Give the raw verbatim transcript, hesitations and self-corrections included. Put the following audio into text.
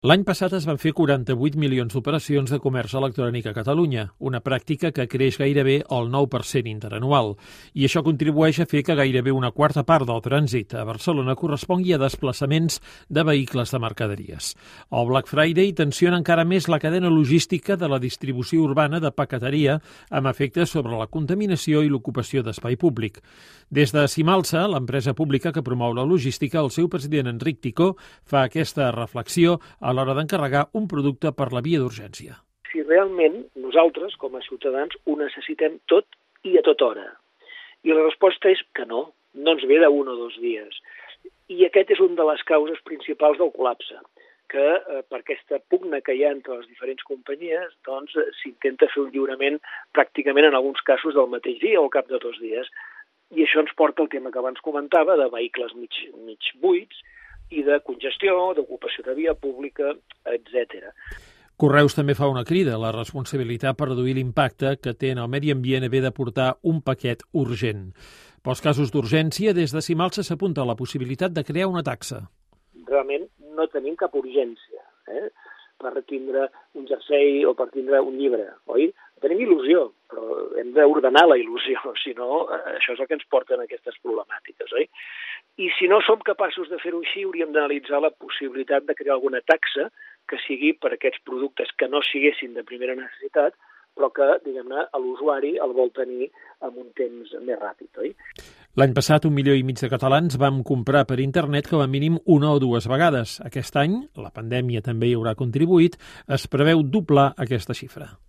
L'any passat es van fer quaranta-vuit milions d'operacions de comerç electrònic a Catalunya, una pràctica que creix gairebé el nou per cent interanual. I això contribueix a fer que gairebé una quarta part del trànsit a Barcelona correspongui a desplaçaments de vehicles de mercaderies. El Black Friday tensiona encara més la cadena logística de la distribució urbana de paqueteria, amb efectes sobre la contaminació i l'ocupació d'espai públic. Des de Simalsa, l'empresa pública que promou la logística, el seu president Enric Ticó fa aquesta reflexió a l'hora d'encarregar un producte per la via d'urgència. Si realment nosaltres, com a ciutadans, ho necessitem tot i a tota hora. I la resposta és que no, no ens ve d'un o dos dies. I aquest és una de les causes principals del col·lapse, que eh, per aquesta pugna que hi ha entre les diferents companyies, doncs s'intenta fer un lliurament pràcticament en alguns casos del mateix dia o al cap de dos dies. I això ens porta al tema que abans comentava, de vehicles mig, mig buits, i de congestió, d'ocupació de via pública, etcètera. Correus també fa una crida a la responsabilitat per reduir l'impacte que té en el medi ambient haver de portar un paquet urgent. Pels casos d'urgència, des de Simalsa s'apunta a la possibilitat de crear una taxa. Realment no tenim cap urgència eh? per tindre un jersei o per tindre un llibre, oi? Tenim il·lusió, però hem d'ordenar la il·lusió, si no, això és el que ens porta a aquestes problemàtiques, oi? I si no som capaços de fer-ho així, hauríem d'analitzar la possibilitat de crear alguna taxa que sigui per aquests productes que no siguessin de primera necessitat, però que, diguem-ne, l'usuari el vol tenir en un temps més ràpid, oi? L'any passat, un milió i mig de catalans vam comprar per internet com a mínim una o dues vegades. Aquest any, la pandèmia també hi haurà contribuït, es preveu doblar aquesta xifra.